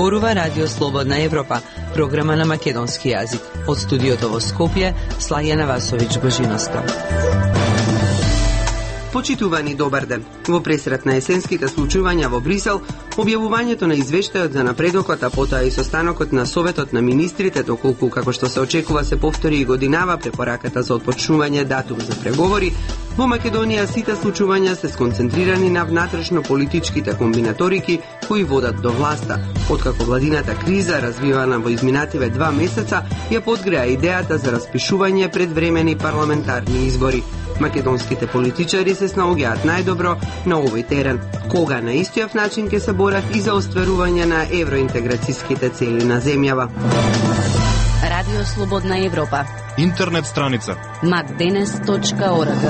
зборува Радио Слободна Европа, програма на македонски јазик. Од студиото во Скопје, Слајана Васович-Божиновска. Почитувани, добар ден. Во пресрет на есенските случувања во Брисел, објавувањето на извештајот за напредокот, а потоа и состанокот на Советот на министрите, доколку како што се очекува се повтори и годинава препораката за отпочнување датум за преговори, во Македонија сите случувања се сконцентрирани на внатрешно политичките комбинаторики кои водат до власта. Откако владината криза, развивана во изминативе 2 месеца, ја подгреа идејата за распишување предвремени парламентарни избори. Македонските политичари се снаоѓаат најдобро на овој терен, кога на истиот начин ќе се борат и за остварување на евроинтеграцијските цели на земјава. Радио Слободна Европа. Интернет страница macdenes.org.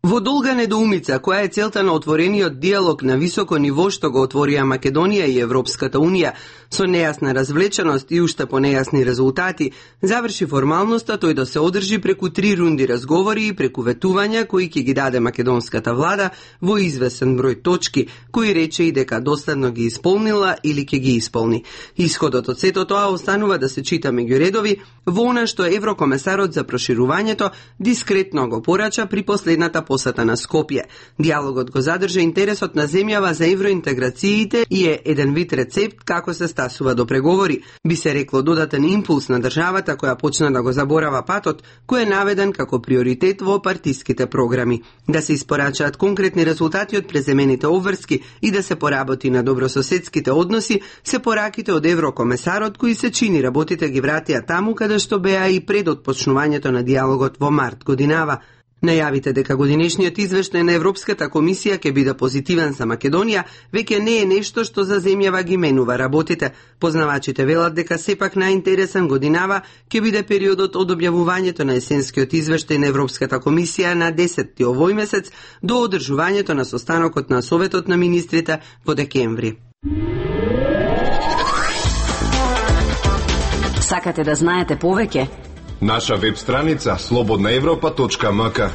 Во долга недоумица, која е целта на отворениот диалог на високо ниво што го отворија Македонија и Европската Унија, со нејасна развлеченост и уште по нејасни резултати, заврши формалноста тој да се одржи преку 3 рунди разговори и преку ветувања кои ќе ги даде македонската влада во извесен број точки, кои рече и дека доследно ги исполнила или ќе ги исполни. Исходот од сето тоа останува да се чита меѓу редови во она што еврокомесарот за проширувањето дискретно го порача при последната посета на Скопје. Диалогот го задржа интересот на земјава за евроинтеграциите и е еден вид рецепт како се стасува до преговори. Би се рекло додатен импулс на државата која почна да го заборава патот, кој е наведен како приоритет во партиските програми. Да се испорачаат конкретни резултати од преземените обврски и да се поработи на добрососедските односи, се пораките од еврокомесарот кои се чини работите ги вратија таму каде што беа и пред отпочнувањето на диалогот во март годинава. Најавите дека годинешниот извештај на Европската комисија ќе биде позитивен за Македонија, веќе не е нешто што за земјава ги менува работите. Познавачите велат дека сепак најинтересен годинава ќе биде периодот од објавувањето на есенскиот извештај на Европската комисија на 10 овој месец до одржувањето на состанокот на Советот на министрите во декември. Сакате да знаете повеќе? Наша веб страница slobodnaevropa.mk.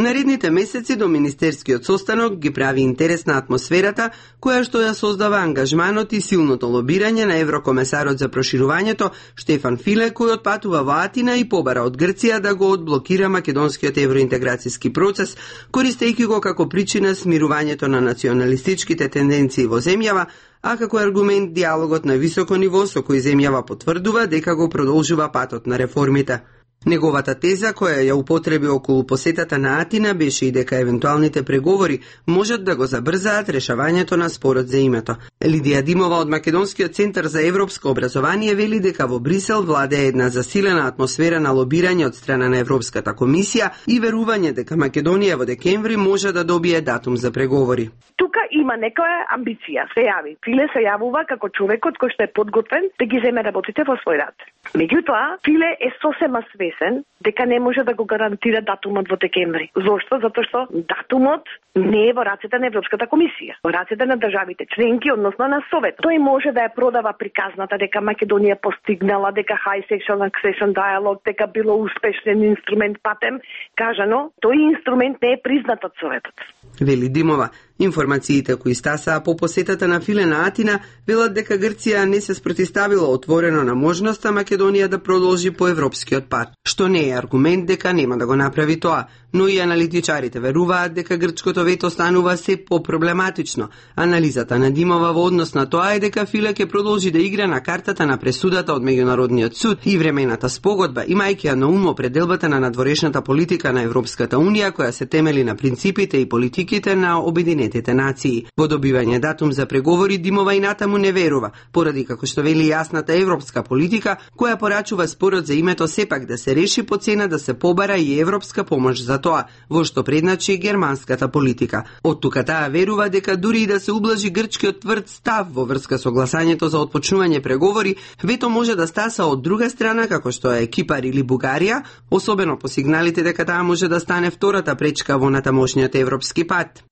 Наредните месеци до министерскиот состанок ги прави интересна атмосферата, која што ја создава ангажманот и силното лобирање на еврокомесарот за проширувањето Штефан Филе, кој отпатува во Атина и побара од Грција да го одблокира македонскиот евроинтеграцијски процес, користејќи го како причина смирувањето на националистичките тенденции во земјава, а како аргумент диалогот на високо ниво со кој земјава потврдува дека го продолжува патот на реформите. Неговата теза, која ја употреби околу посетата на Атина, беше и дека евентуалните преговори можат да го забрзаат решавањето на спорот за името. Лидија Димова од Македонскиот центар за европско образование вели дека во Брисел владее една засилена атмосфера на лобирање од страна на Европската комисија и верување дека Македонија во декември може да добие датум за преговори. Тука има некоја амбиција, се јави. Филе се јавува како човекот кој што е подготвен да ги земе работите во свој рад. Меѓутоа, Филе е сосема свесен дека не може да го гарантира датумот во декември. Зошто? Затоа што датумот не е во рацете на Европската комисија, во рацете на државите членки, односно на Совет. Тој може да ја продава приказната дека Македонија постигнала, дека high section accession dialogue, дека било успешен инструмент патем, кажано, тој инструмент не е признат од Советот. Вели Димова. Информациите кои стасаа по посетата на Филе на Атина велат дека Грција не се спротивставила отворено на можноста Македонија да продолжи по европскиот пат, што не е аргумент дека нема да го направи тоа, но и аналитичарите веруваат дека грчкото вето станува се по-проблематично. Анализата на Димова во однос на тоа е дека Филе ќе продолжи да игра на картата на пресудата од Меѓународниот суд и времената спогодба, имајќи ја на ум определбата на надворешната политика на Европската Унија, која се темели на принципите и политиките на Обединетите нации. Во добивање датум за преговори Димова и натаму не верува, поради како што вели јасната европска политика, која порачува спорот за името сепак да се реши по цена да се побара и европска помош за тоа, во што предначи германската политика. Од тука таа верува дека дури и да се ублажи грчкиот тврд став во врска со гласањето за отпочнување преговори, вето може да стаса од друга страна како што е Кипар или Бугарија, особено по сигналите дека таа може да стане втората пречка во натамошниот европски пат.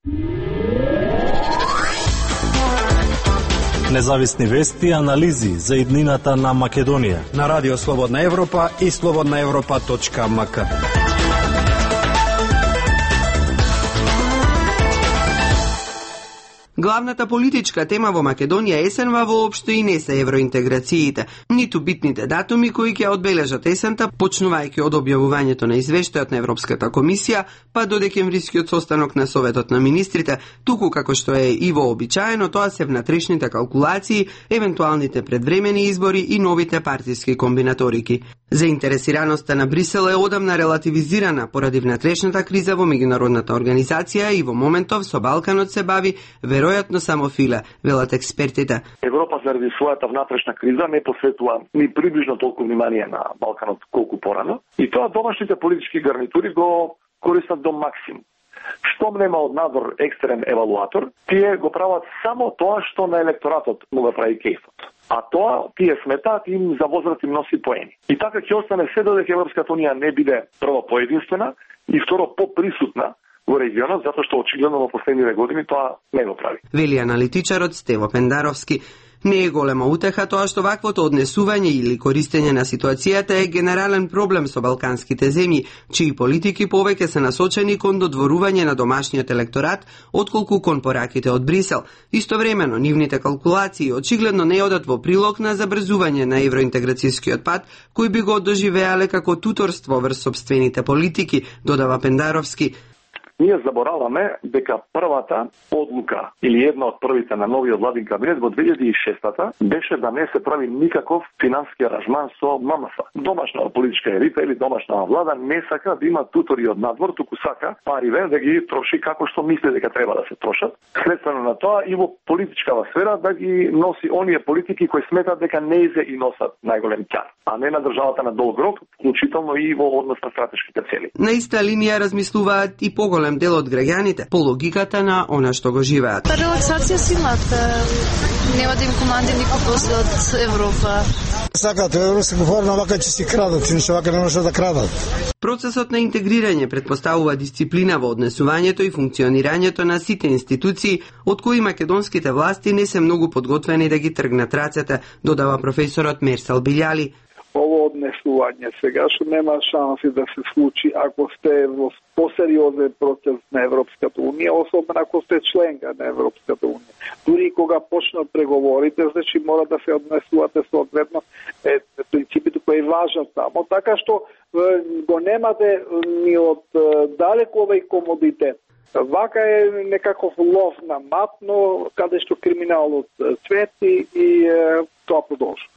Независни вести и анализи за иднината на Македонија. На Радио Слободна Европа и slobodnaevropa.mk. Главната политичка тема во Македонија есенва воопшто и не се евроинтеграциите, ниту битните датуми кои ќе одбележат есента, почнувајќи од објавувањето на извештајот на Европската комисија, па до декемврискиот состанок на Советот на министрите, туку како што е и вообичаено, тоа се внатрешните калкулации, евентуалните предвремени избори и новите партиски комбинаторики. Заинтересираноста на Брисел е одамна релативизирана поради внатрешната криза во меѓународната организација и во моментов со Балканот се бави веројатно само филе, велат експертите. Европа заради својата внатрешна криза не посветува ни приближно толку внимание на Балканот колку порано и тоа домашните политички гарнитури го користат до максимум. Штом нема од надвор екстерен евалуатор, тие го прават само тоа што на електоратот му го прави кејфот. А тоа тие сметаат им за возврат им носи поени. И така ќе остане се додека Европската унија не биде прво поединствена и второ поприсутна во регионот, затоа што очигледно во последниве години тоа не го прави. Вели аналитичарот Стево Пендаровски. Не е голема утеха тоа што ваквото однесување или користење на ситуацијата е генерален проблем со балканските земји, чии политики повеќе се насочени кон додворување на домашниот електорат, отколку кон пораките од Брисел. Истовремено, нивните калкулации очигледно не одат во прилог на забрзување на евроинтеграцијскиот пат, кој би го доживеале како туторство врз собствените политики, додава Пендаровски. Ние забораваме дека првата одлука или една од првите на новиот владин кабинет во 2006-та беше да не се прави никаков финански аранжман со ММФ. Домашна политичка елита или домашна влада не сака да има тутори од надвор, туку сака париве да ги троши како што мисли дека треба да се трошат. Следствено на тоа и во политичкава сфера да ги носи оние политики кои сметат дека неизе и носат најголем ќар, а не на државата на долг рок, вклучително и во однос на стратешките цели. На иста линија размислуваат и поголем дел од граѓаните по логиката на она што го живеат. Релаксација си имате, нема да им команди никој после од Европа. Сакат евро се говори вака ќе си крадат, иначе вака не може да крадат. Процесот на интегрирање предпоставува дисциплина во однесувањето и функционирањето на сите институции, од кои македонските власти не се многу подготвени да ги тргнат рацете, додава професорот Мерсел Билјали. Ово однесување сега што нема шанси да се случи ако сте во посериозен процес на Европската унија, особено ако сте членка на Европската унија. Дури кога почнат преговорите, значи мора да се однесувате соодветно принципите кои важат тамо, така што го немате ни од далеку овој комодитет. Вака е некаков лов на матно, каде што криминалот цвети и тоа продолжува.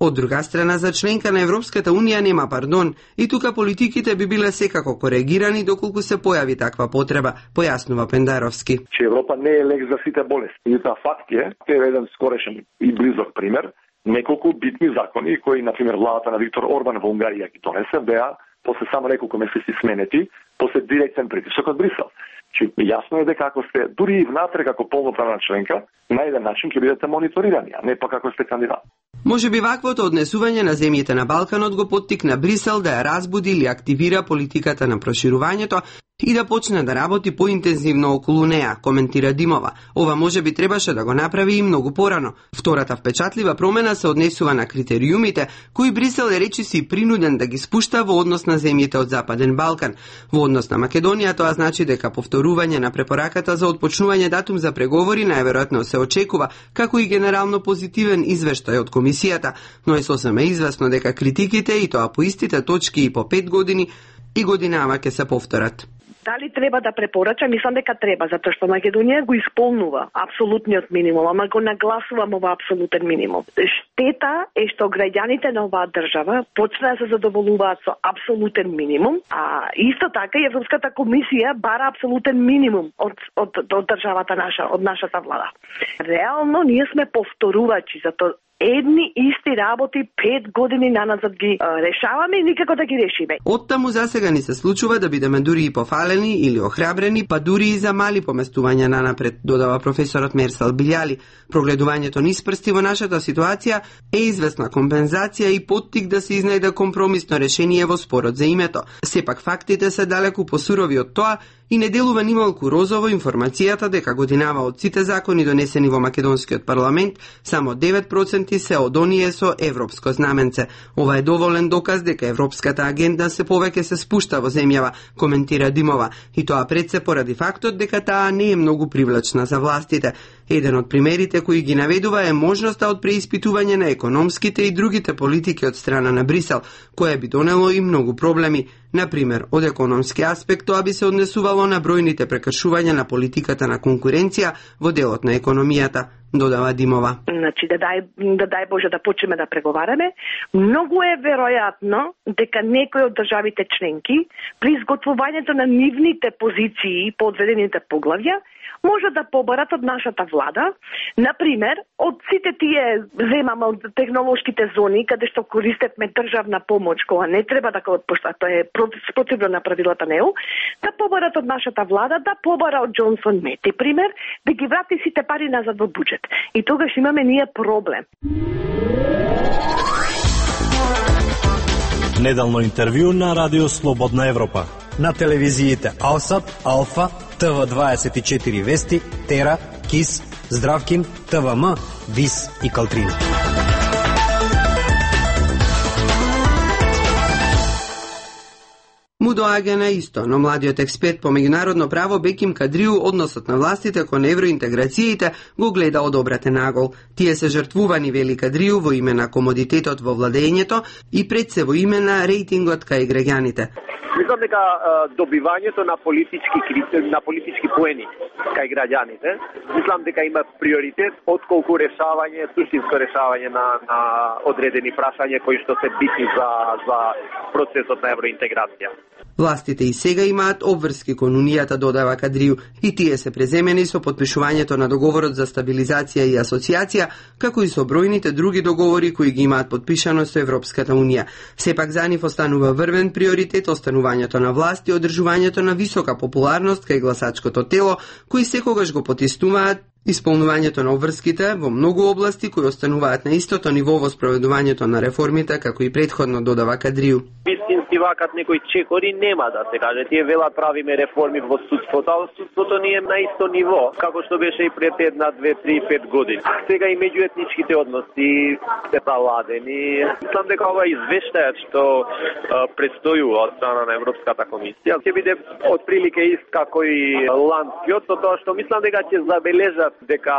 Од друга страна, за членка на Европската унија нема пардон и тука политиките би биле секако коригирани доколку се појави таква потреба, појаснува Пендаровски. Че Европа не е лек за сите болести. И тоа факт е еден скорешен и близок пример, неколку битни закони кои, например, владата на Виктор Орбан во Унгарија ги донесе, беа после само неколку месеци сменети, после директен притисок од Брисел. Че јасно е дека ако сте дури и внатре како полноправна членка, на еден начин ќе бидете мониторирани, а не па како сте кандидат. Може би ваквото однесување на земјите на Балканот го поттикна Брисел да ја разбуди или активира политиката на проширувањето и да почне да работи поинтензивно околу неа, коментира Димова. Ова може би требаше да го направи и многу порано. Втората впечатлива промена се однесува на критериумите, кои Брисел е речиси принуден да ги спушта во однос на земјите од Западен Балкан. Во однос на Македонија тоа значи дека повторување на препораката за отпочнување датум за преговори најверојатно се очекува, како и генерално позитивен извештај од комисијата, но е сосема известно дека критиките и тоа по истите точки и по 5 години и годинава ќе се повторат. Дали треба да препорача? Мислам дека треба, затоа што Македонија го исполнува апсолутниот минимум, ама го нагласувам ова апсолутен минимум. Штета е што граѓаните на оваа држава почнаа да се задоволуваат со апсолутен минимум, а исто така и Европската комисија бара апсолутен минимум од државата наша, од нашата влада. Реално ние сме повторувачи, затоа едни исти работи 5 години наназад ги решаваме и никако да ги решиме. Оттаму засега ни се случува да бидеме дури и пофалени или охрабрени, па дури и за мали поместувања нанапред, додава професорот Мерсал Билјали. Прогледувањето низ прсти во нашата ситуација е известна компензација и поттик да се изнајде компромисно решение во спорот за името. Сепак фактите се далеку посурови од тоа и не делува нималку розово информацијата дека годинава од сите закони донесени во македонскиот парламент, само 9% се од оние со европско знаменце. Ова е доволен доказ дека европската агенда се повеќе се спушта во земјава, коментира Димова, и тоа пред се поради фактот дека таа не е многу привлечна за властите. Еден од примерите кои ги наведува е можноста од преиспитување на економските и другите политики од страна на Брисел, кое би донело и многу проблеми. Например, од економски аспект тоа би се однесувало на бројните прекршувања на политиката на конкуренција во делот на економијата, додава Димова. Значи, да дај Боже да почнеме да преговараме, многу е веројатно дека некои од државите членки при изготвувањето на нивните позиции по одредените поглавја може да побарат од нашата влада, например, од сите тие земаме од технолошките зони каде што користевме државна помош, кога не треба да пошта тоа е спротивно на правилата на ЕУ, да побарат од нашата влада, да побара од Джонсон Мети, пример, да ги врати сите пари назад во буџет. И тогаш имаме ние проблем. Неделно интервју на Радио Слободна Европа. На телевизиите Алсат, Алфа, ТВ24 Вести, Тера, КИС, Здравкин, ТВМ, ВИС и Калтрина. Му доаѓа на исто, но младиот експерт по меѓународно право Беким Кадриу односот на властите кон евроинтеграциите го гледа од обратен агол. Тие се жртвувани, вели Кадриу, во име на комодитетот во владењето и пред се во име на рейтингот кај граѓаните. Мислам дека добивањето на политички поени кај граѓаните, мислам дека има приоритет отколку суштинско решавање на одредени прашања кои што се битни за процесот на евроинтеграција. Властите и сега имаат обврски кон Унијата, додава Кадриу, и тие се преземени со подпишувањето на договорот за стабилизација и асоциација, како и со бројните други договори кои ги имаат подпишано со Европската Унија. Сепак за нив останува врвен приоритет останувањето на власт и одржувањето на висока популарност кај гласачкото тело, кои секогаш го потиснуваат исполнувањето на обврските во многу области кои остануваат на истото ниво во спроведувањето на реформите, како и претходно, додава Кадриу. Вистински вакат некои чекори нема, да се каже. Тие велат правиме реформи во судството, а судството ни е на исто ниво, како што беше и пред 1, 2, 3, 5 години. Сега и меѓуетничките односи се заладени. Мислам дека ова извештајот што предстојува од страна на Европската комисија ќе биде отприлике ист како и ландскиот, со тоа што мислам дека ќе забележат дека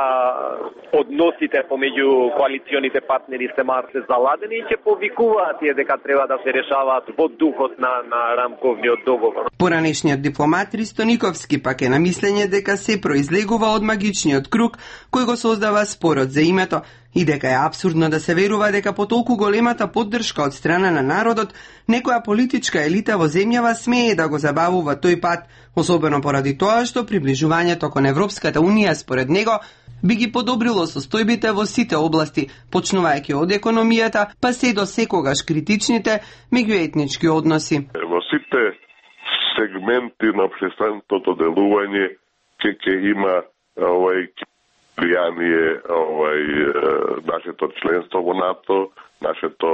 односите помеѓу коалиционите партнери се марше заладени и ќе повикуваат тие дека треба да се решаваат во духот на рамковниот договор. Поранешниот дипломат Ристо Никовски пак е на мислење дека се произлегува од магичниот круг кој го создава спорот за името и дека е апсурдно да се верува дека по толку големата поддршка од страна на народот некоја политичка елита во земјава смее да го забавува тој пат, особено поради тоа што приближувањето кон Европската Унија според него би ги подобрило состојбите во сите области, почнувајќи од економијата, па се до секогаш критичните меѓуетнички односи. Во сите сегменти на општественото делување ќе има влијание нашето членство во НАТО, нашето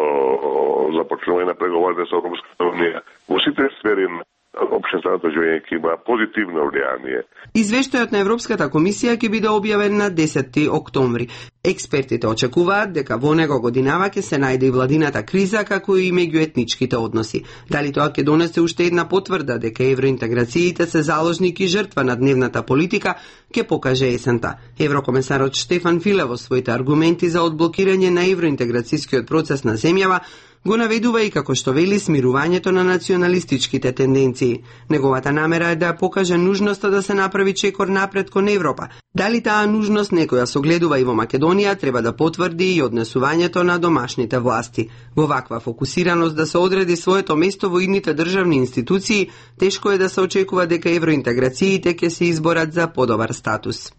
започнување на преговори со Европската Унија. Во сите сфери на општественото живење ќе има позитивно влијание. Извештајот на Европската комисија ќе биде објавен на 10 октомври. Експертите очекуваат дека во него годинава ќе се најде и владината криза, како и меѓуетничките односи. Дали тоа ќе донесе уште една потврда дека евроинтеграциите се заложник и жртва на дневната политика, ќе покаже есента. Еврокомесарот Штефан Филе во своите аргументи за одблокирање на евроинтеграцијскиот процес на земјава го наведува и како што вели смирувањето на националистичките тенденции. Неговата намера е да покаже нужноста да се направи чекор напред кон Европа. Дали таа нужност некоја согледува и во Македонија, треба да потврди и однесувањето на домашните власти. Во ваква фокусираност да се одреди своето место во идните државни институции, тешко е да се очекува дека евроинтеграциите ќе се изборат за подобар статус.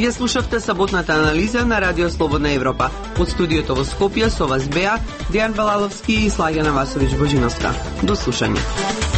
Ја слушавте саботната анализа на Радио Слободна Европа. Од студиото во Скопје со вас беа Дејан Балаловски и Слаѓана Васовиќ Божиновска. До слушање.